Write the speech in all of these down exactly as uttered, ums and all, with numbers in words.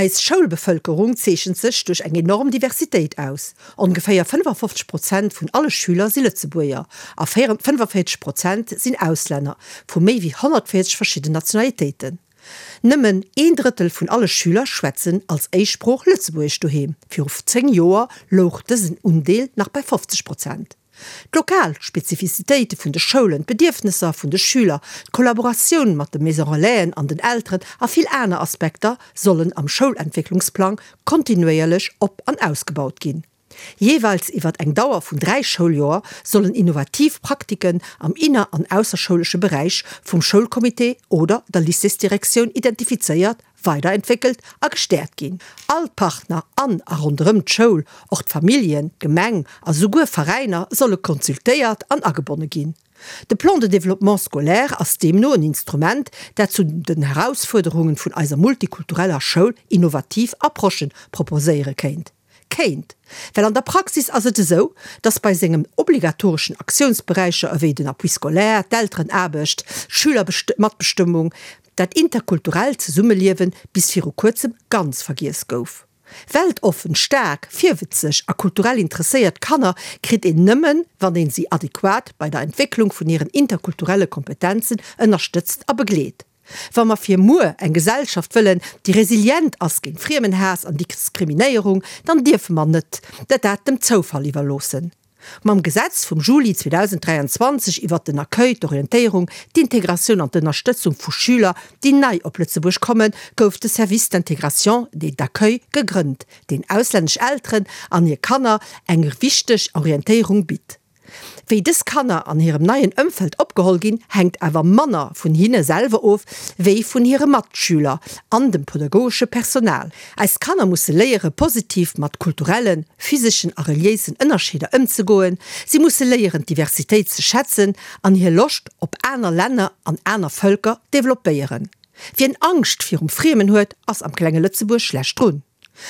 Eis Schoulbevëlkerung zeechent sech duerch eng enorm Diversitéit aus, Ongeféier fënnefafofzeg Prozent vun alle Schüler si Lëtzebuerger a fënnefavierzeg Prozent sinn Auslänner vu méi wéi honnertvéierzeg verschidden Nationalitéiten. Nëmmen een Drëttel vun alle Schüler schwätzen als Éischtsprooch Lëtzebuergesch doheem, viru zéng Joer louch dësen Undeel nach bei fofzeg Prozent. D'lokal Spezifizitéite vun de Schoulen, d'Bedierfnesser vun de Schüler, d'Kollaboratioun mat de Maison Relaisen an den Elteren a vill aner Aspekter sollen am Schoulentwécklungsplang kontinuéierlech op an ausgebaut ginn. Jeeweils iwwert eng Dauer vun dräi Schouljoer sollen innovativ Praktiken am inner an ausserschoulesche Beräich vum Schoulcomité oder der Lycéesdirektioun identifizéiert, weiderentwéckelt a gestäerkt ginn. All d'Partner an a ronderëm d'Schoul, och d'Familljen, d'Gemeng a souguer Veräiner solle consultéiert an agebonne ginn. De Plan de développement scolaire ass deemno en Instrument, dat zu den Herausfuerderungen vun eiser multikultureller Schoul innovativ Approchen proposéiere kéint. Kéint. Well an der Praxis ass et esou, dass bei sengen obligatoreschen Aktiounsberäicher ewéi den Appui scolaire, d'Elterenaarbecht, d'Schülermatbestëmmung, dat interkulturellt Zesummeliewe bis viru kuerzem ganz vergiess gouf. Weltoffen, staark, virwëtzeg a kulturell interesséiert Kanner kritt een nëmmen, wann een si adequat bei der Entwécklung vun hiren interkulturelle Kompetenzen ënnerstëtzt a begleet. Wa mer fir muer eng Gesellschaft wëllen, déi resilient ass géint Friemenhaass an Diskriminéierung, dann dierfe mer net dat dat dem Zoufall iwwerloossen. Mam Gesetz vum Juli zweedausenddräianzwanzeg iwwert den Accueil, d'Orientéierung, d'Integratioun an d'Ënnerstëtzung vu Schüler, déi nei op Lëtzebuerg kommen, gouf de Service d'intégration et d'accueil gegrënnt, deen auslännesch Elteren an hir Kanner eng wichteg Orientéierung bitt. Wéi dës Kanner an hirem neien Ëmfeld opgeholl ginn, hänkt awer manner vun hinne selwer of, wéi vun hire Matschüler an dem pedagogesche Personal. Eis Kanner musse léiere positiv mat kulturellen, physeschen a reliéisen Ënnerscheeder ëmzegoen. Si musse léieren d'Diversitéit ze schätzen an hir Loscht op aner Länner an aner Vëlker developpéieren. Wien Angscht virum Friemen huet, ass am klenge Lëtzebuerg schlecht drun.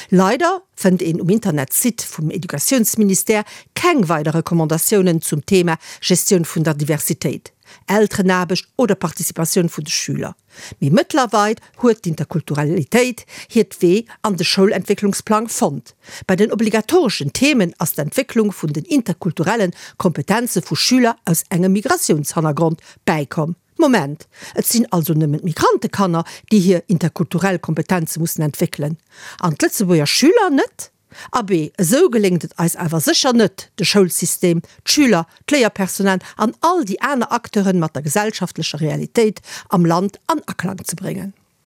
Leider fënnt een um Internetsite vum Educatiounsministère keng weider Recommandatiounen zum Thema Gestioun vun der Diversitéit, Elterenaarbecht oder Participatioun vun de Schüler. Mee mëttlerweil huet d'Interkulturalitéit hiert Wee an de Schoulentwécklungsplang fonnt. Bei den obligatoreschen Themen ass d'Entwécklung vun den interkulturelle Kompetenze vu Schüler aus engem Migratiounshannergrond bäikomm. Moment, et sinn also nëmmen d'Migrantekanner, déi hir interkulturell Kompetenze mussen entwéckelen, an d'Lëtzebuerger Schüler net? Abee, esou geléngt et eis awer sécher net, de Schoulsystem, d'Schüler, d'Léierpersonal an all déi aner Acteuren mat der gesellschaftlecher Realitéit am Land an Aklang ze bréngen.